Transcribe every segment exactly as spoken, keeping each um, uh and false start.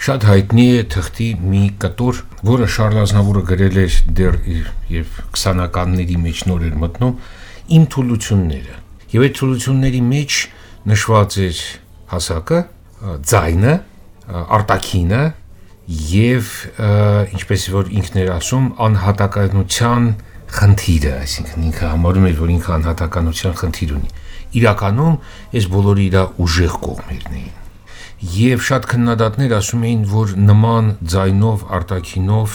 Շատ հայտնի է թղթի մի կտոր, որը Շարլ Ազնավուրը գրել էր դեռ եւ քսանականների մեջ նոր էր մտնում, իմ թուլությունները։ Եվ այդ թուլությունների մեջ նշված էր հասակը, ձայնը, արտաքինը եւ ինչպես որ ինքն էր ասում, անհատականության խնդիրը, այսինքն ինքը համարում էր, որ ինքը անհատականության խնդիր ունի։ Իրականում այս բոլորը իր ուժեղ կողմերն էին։ Եվ շատ քննադատներ ասում էին, որ նման ձայնով, արտաքինով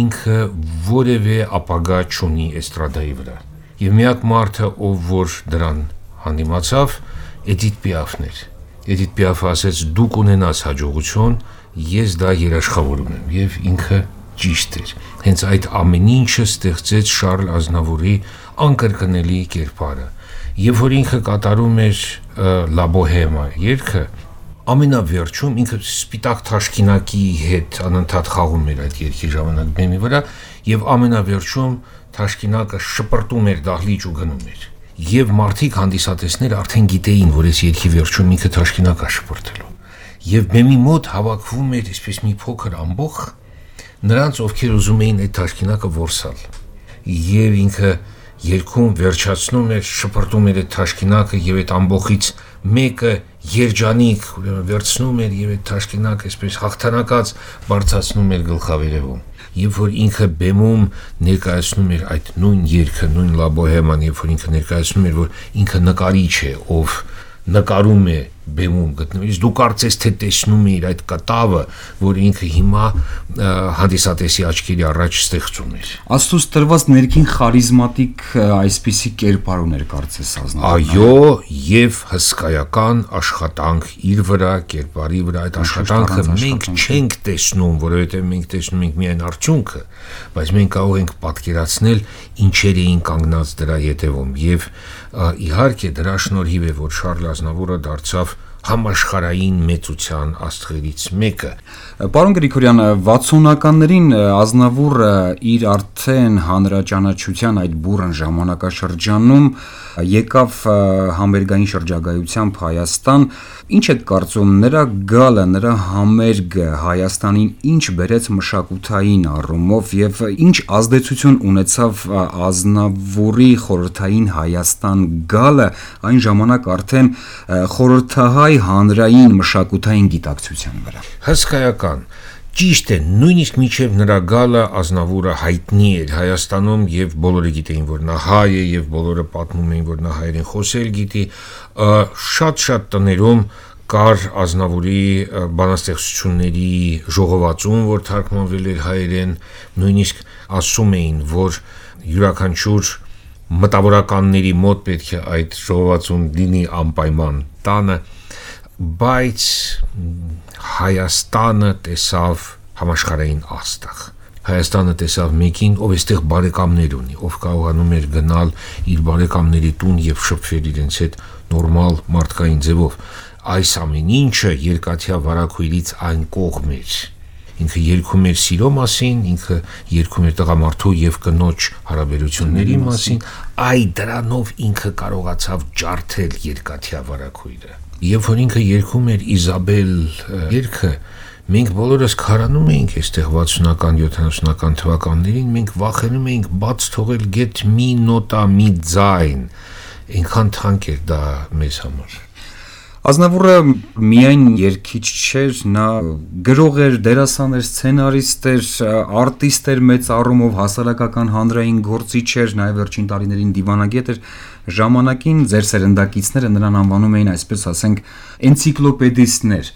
ինքը որևէ ապագա չունի էստրադայի վրա։ Եվ միակ մարդը, ով որ դրան հանդիմացավ, Էդիթ Պիաֆն էր։ Էդիթ Պիաֆը ասեց՝ դուք ունենաս հաջողություն, ես դա երաշխավորում եմ, եւ ինքը ճիշտ էր։ Հենց այդ ամեն ինչը ստեղծեց Շարլ Ազնավուրի անկրկնելի կերպարը։ Եվ որ ինքը կատարում էր Լա Բոհեմա երգը, ամենավերջում ինքը սպիտակ թաշկինակի հետ անընդհատ խաղում էր այդ երգի ժամանակ բեմի վրա, եւ ամենավերջում թաշկինակը շպրտում էր դահլիճ ու գնում էր։ Եվ մարդիկ հանդիսատեսները արդեն գիտեին, որ այս երգի վերջում ինքը թաշկինակ է շպրտելու։ Եվ բեմի մոտ հավաքվում էր այսպես մի փոքր ամբոխ, նրանց ովքեր ուզում էին այդ թաշկինակը որսալ։ Եվ ինքը երգում վերջացնում էր, շպրտում էր այդ թաշկինակը եւ այդ ամբոխից մեկը երջանիկ վերցնում էր եւ այդ թաշկինակը այսպես հաղթանակած բարձրացնում էր գլխավերևում։ Եվ որ ինքը բեմում ներկայացնում էր այդ նույն երգը, նույն Լա Բոհեման, եւ որ ինքը ներկայացնում էր, որ ինքը նկարիչ է, ով նկարում է բեմում գտնվելիս, դու կարծես թե տեսնում ես այդ կտավը, որ ինքը հիմա հանդիսատեսի աչքերի առաջ ստեղծում էր։ Աստծուց տրված ներքին խարիզմատիկ այսպիսի կերպար ուներ կարծես Ազնավուրը։ Այո, եւ հսկայական աշխատանք իր վրա, կերպարի վրա, այդ աշխատանքը մենք չենք տեսնում, որովհետեւ մենք տեսնում ենք միայն արդյունքը, բայց մենք կարող ենք պատկերացնել ինչեր էին կանգնած դրա ետևում եւ իհարկե դրա շնորհիվ է, որ Շարլ Ազնավուրը դարձավ համաշխարհային մեծության աստղերից մեկը։ Պարոն Գրիգորյան, վաթսունականներին Ազնավուրը իր արդեն հանրաճանաչության այդ բուռն ժամանակաշրջանում եկավ համերգային շրջագայությամբ Հայաստան։ Ինչ եք կարծում, նրա գալը, նրա համերգը Հայաստանին ինչ բերեց մշակութային առումով եւ ինչ ազդեցություն ունեցավ Ազնավուրի խորհրդային Հայաստան գալը այն ժամանակ արդեն խորհրդահայ հանրային մշակութային գիտակցության վրա։ Հսկայական։ Ճիշտ է, նույնիսկ մինչև նրա գալը Ազնավուրը հայտնի էր Հայաստանում եւ բոլորը գիտեին, որ նա հայ է եւ բոլորը պատմում էին, որ նա հայերեն խոսել գիտի։ Շատ-շատ տներում կար Ազնավուրի բանաստեղծությունների ժողովածուն, որ թարգմանվել էր հայերեն, նույնիսկ ասում էին, որ յուրաքանչյուր մտավորականների մոտ պետք է այդ ժողովածուն լինի անպայման տանը, բայց Հայաստանը տեսավ համաշխարհային աստղ։ Հայաստանը տեսավ մեկին, ով այստեղ բարեկամներ ունի, ով կարողանում էր գնալ իր բարեկամների տուն եւ շփվել իրենց հետ նորմալ մարդկային ձևով։ Այս ամեն ինչը երկաթյա վարակույրից այն կողմ էր։ Ինքը երգում էր սիրո մասին, ինքը երգում էր տղամարդու եւ կնոջ հարաբերությունների մասին, այ դրանով ինքը կարողացավ ջարդել երկաթյա վարակույրը։ Եվ որ ինքը երգում էր Իզաբել երգը, մենք բոլորս քարանում էինք այստեղ վաթսունական յոթանասունական թվականներին, մենք վախենում էինք բաց թողել գեթ մի նոտա, մի ձայն, այնքան թանկ էր դա մեզ համար։ Ազնավուրը միայն երգիչ չէր, նա գրող էր, դերասան էր, սցենարիստ էր, արտիստ էր մեծ առումով, հասարակական հանրային գործիչ էր, նաև վերջին տարիներին դիվանագետ էր։ Ժամանակին ձեր սերնդակիցները նրան անվանում էին, այսպես ասենք, էնցիկլոպեդիստներ։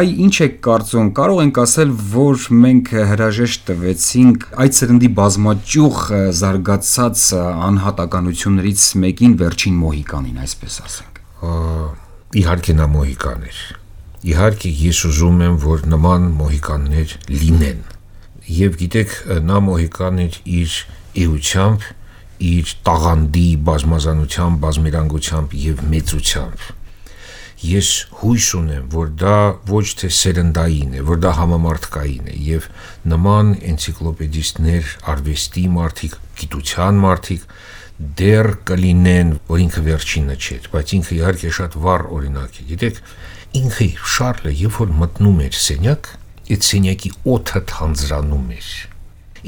Այ ինչ եք կարծում, կարող ենք ասել, որ մենք հրաժեշտ տվեցինք այդ սերնդի բազմաճյուղ զարգացած անհատականություններից մեկին, վերջին Մոհիկանին, այսպես ասենք։ Իհարկե նա մոհիկան էր։ Իհարկե ես ուզում եմ, որ նման մոհիկաններ լինեն։ Եվ գիտեք, նա մոհիկան էր իր էությամբ, իր տաղանդի բազմազանությամբ, բազմերանգությամբ եւ մեծությամբ։ Ես հույս ունեմ, որ դա ոչ թե սերնդային է, որ դա համամարտկային է եւ նման էնցիկլոպեդիստներ, արվեստի մարդիկ, գիտության մարդիկ դեռ կլինեն, որ ինքը վերջինը չէր, բայց ինքը իհարկե շատ վառ օրինակ է։ Գիտեք, Ինքը Շարլը երբ որ մտնում էր սենյակ, այդ սենյակի օդը թանձրանում էր։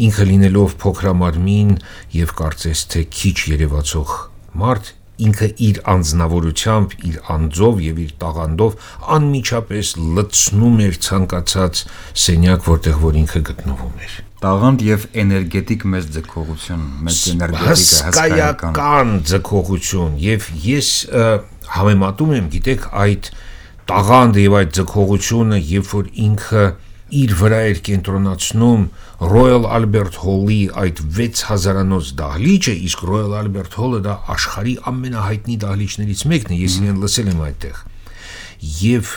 Ինքը լինելով փոքրամարմին եւ կարծես թե քիչ երևացող մարդ, ինքը իր անձնավորությամբ, իր անձով եւ իր տաղանդով անմիջապես լցնում էր ցանկացած սենյակ, որտեղ որ ինքը գտնվում էր։ Տաղանդ եւ էներգետիկ մեծ ձգողություն, մեծ էներգետիկ հսկայական ձգողություն, եւ ես համեմատում եմ, գիտեք, այդ տաղանդը եւ այդ ձգողությունը, երբ որ ինքը իր վրա էր կենտրոնացնում Royal Albert Hall-ի այդ վեց հազարանոց դահլիճը, իսկ Royal Albert Hall-ը դա աշխարհի ամենահայտնի դահլիճներից մեկն է, ես իրեն լսել եմ այդտեղ։ Եվ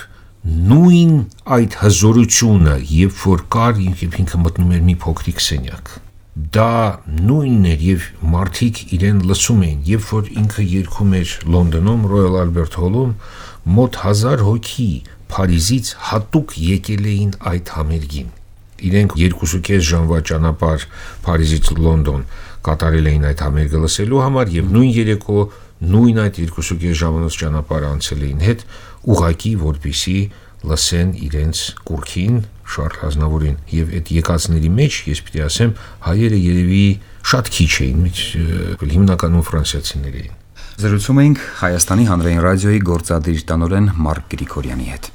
նույն այդ հզորությունը, երբ որ կար, ինքը մտնում էր մի փոքրիկ սենյակ, դա նույնն էր եւ մարդիկ իրեն լսում էին, երբ որ ինքը երգում էր Լոնդոնում Royal Albert Hall-ում, մոտ հազար հոգի Փարիզից հատուկ եկել էին այդ համերգին։ Իրենք երկուսուկես ժամվա ճանապարհ Փարիզից Լոնդոն կատարել էին այդ համերգը լսելու համար եւ նույն երեկո նույն այդ երկուսուկես ժամանոց ճանապարհ անցել էին հետ ուղակի որպեսի լսեն իրենց կուրքին Շարլ Ազնավուրին եւ այդ եկածների մեջ ես պիտի ասեմ հայերը երևի շատ քիչ էին, հիմնականում ֆրանսիացիներ էին։ Զրուցում էինք Հայաստանի հանրային ռադիոյի գործադիր տնօրեն Մարկ Գրիգորյանի հետ։